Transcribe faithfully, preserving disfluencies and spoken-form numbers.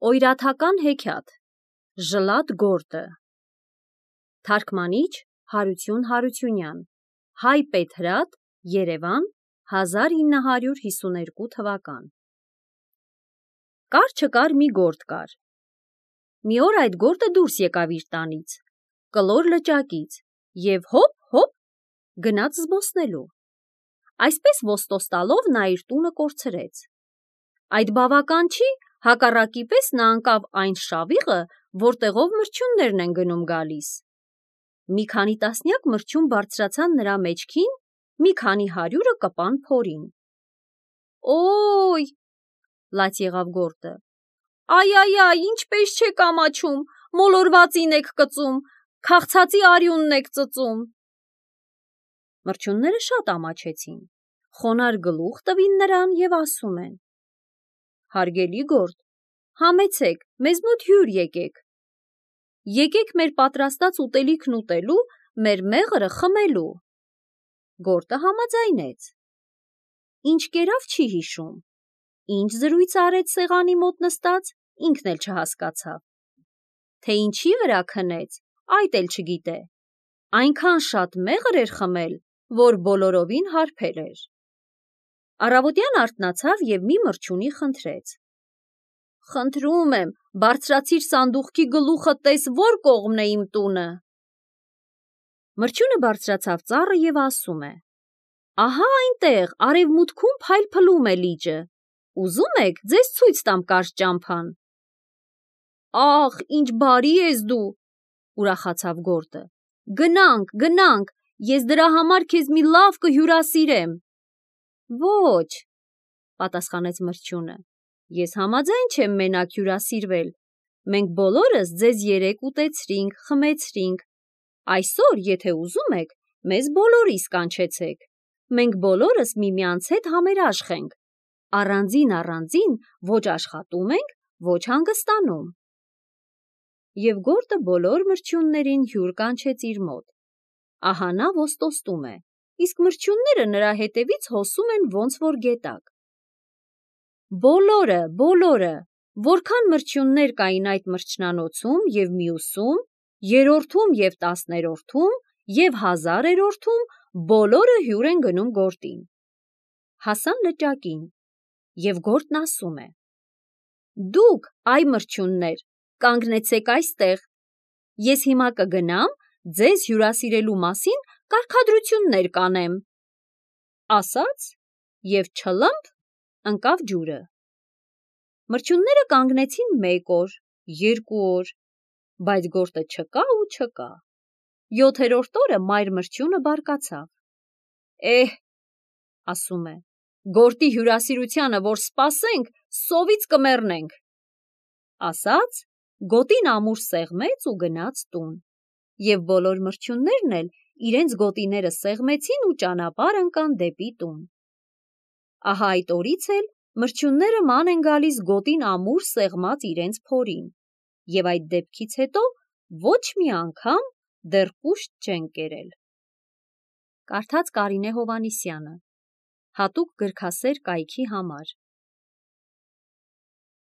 Օյրաթական հեքիաթ Ժլատ գորտը Թարգմանիչ Հարություն Հարությունյան Հայ Պետրատ Երևան հազար ինը հարյուր հիսուներկու թվական Կար չկար մի գորտ կար Մի օր այդ գորտը դուրս եկավ իր տանից կլոր լճակից և հոպ հոպ գնաց զբոսնելու Այսպես ոստոս տալով նա իր տունը կորցրեց Այդ բավական չի հակառակի պես նա ընկավ այն շավիղը, որտեղով մրջյուններն են գնում գալիս։ Մի քանի տասնյակ մրջյուն բարձրացան նրա մեջքին, մի քանի հարյուրը կպան փորին։ Օй, լաց եղավ գորտը։ Այ այ այ, ինչպես չեք ամաչում, մոլորվածին եք կծում, քաղցածի արյունն եք ծծում։ Մրջյունները շատ ամաչեցին, խոնարհ գլուխ տվին նրան և ասում են. Հարգելի գորտ, համեցեք, մեզ մոտ հյուր եկեք, եկեք մեր պատրաստած ուտելիքն ուտելու, մեր մեղրը խմելու։ Գորտը համաձայնեց։ Ինչ կերավ չի հիշում, ինչ զրույց արեց սեղանի մոտ նստած, ինքն էլ չհասկացավ, թե ինչի վրա քնեց, այդ էլ չգիտե, այնքան շատ մեղր էր խմել, որ բոլորովին հարբել էր։ Առավոտյան արթնացավ և մի մրջյունի խնդրեց. Խնդրում եմ, բարձրացիր սանդուղքի գլուխը տես որ կողմն է իմ տունը։ Մրջյունը բարձրացավ ծառը և ասում է. Ահա այնտեղ, արևմուտքում փայլփլում է լիճը, ուզում եք ձեզ ցույց տամ կարճ ճամփան։ Ախ, ինչ բարի ես դու, ուրախացավ գորտը։ Գնանք, գնանք, ես դրա համար քեզ մի լավ կհյուրասիրեմ։ Ոչ, պատասխանեց մրջյունը, ես համաձայն չեմ մենակ հյուրասիրվել, մենք բոլորս ձեզ երեկ ուտեցրինք, խմեցրինք, այսօր, եթե ուզում եք, մեզ բոլորիս կանչեցեք, մենք բոլորս միմյանց հետ համերաշխ ենք, առանձին առանձին ոչ աշխատում ենք, ոչ հանգստանում։ Եվ գորտը բոլոր մրջյուններին հյուր կանչեց իր մոտ։ Ահա նա ոստոստում է, իսկ մրջյունները նրա հետևից հոսում են ոնց որ գետակ։ Բոլորը, բոլորը, որքան մրջյուններ կային այդ մրջնանոցում և մյուսում, երրորդում և տասներորդում և հազարերորդում, բոլորը հյուր են գնում գորտին։ Հասան լճակին, և գորտն ասում է. Դուք, այ մրջյուններ, կանգնեցեք այստեղ, ես հիմա կգնամ, ձեզ հյուրասիրելու մասին կարգադրություններ կանեմ։ Ասաց և չլըմփ ընկավ ջուրը։ Մրջյունները կանգնեցին մեկ օր, երկու օր, բայց գորտը չկա ու չկա։ Յոթերորդ օրը մայր մրջյունը բարկացավ։ Էհ, ասում է, գորտի հյուրասիրությանը որ սպասենք, սովից կմեռնենք։ Ասաց, գոտին ամուր սեղմեց ու գնաց տուն, և բոլոր մրջյուններն էլ իրենց գոտիները սեղմեցին ու ճանապարհ ընկան դեպի տուն։ Ահա այդ օրից էլ մրջյունները ման են գալիս գոտին ամուր սեղմած իրենց փորին, և այդ դեպքից հետո ոչ մի անգամ դեռ կուշտ չեն կերել։ Կարդաց Կարինե Հովհաննիսյանը, հատուկ գրքասեր կայքի համար։